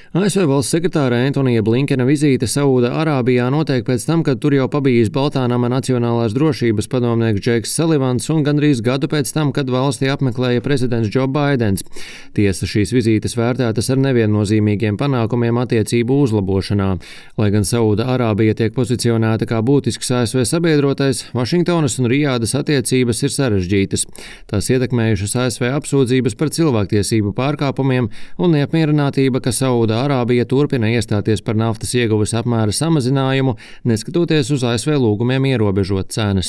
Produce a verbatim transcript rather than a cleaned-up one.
A S V valsts sekretāra Antonija Blinkena vizīte Saūda Arābijā notiek pēc tam, kad tur jau pabijis Baltānama Nacionālās drošības padomnieks Džeiks Salivans un gandrīz gadu pēc tam, kad valstī apmeklēja prezidents Džo Baidens. Tiesa, šīs vizītes vērtētas ar neviennozīmīgiem panākumiem attiecību uzlabošanā. Lai gan Saūda Arābija tiek pozicionēta kā būtisks A S V sabiedrotais, Vašingtonas un Rijādas attiecības ir sarežģītas. Tās ietekmējušas A S V apsūdzības par cilvēktiesību pārkāpumiem un neapmierinātība, ka Saūda Arābija turpina iestāties par naftas ieguves apmēra samazinājumu, neskatoties uz A S V lūgumiem ierobežot cenas.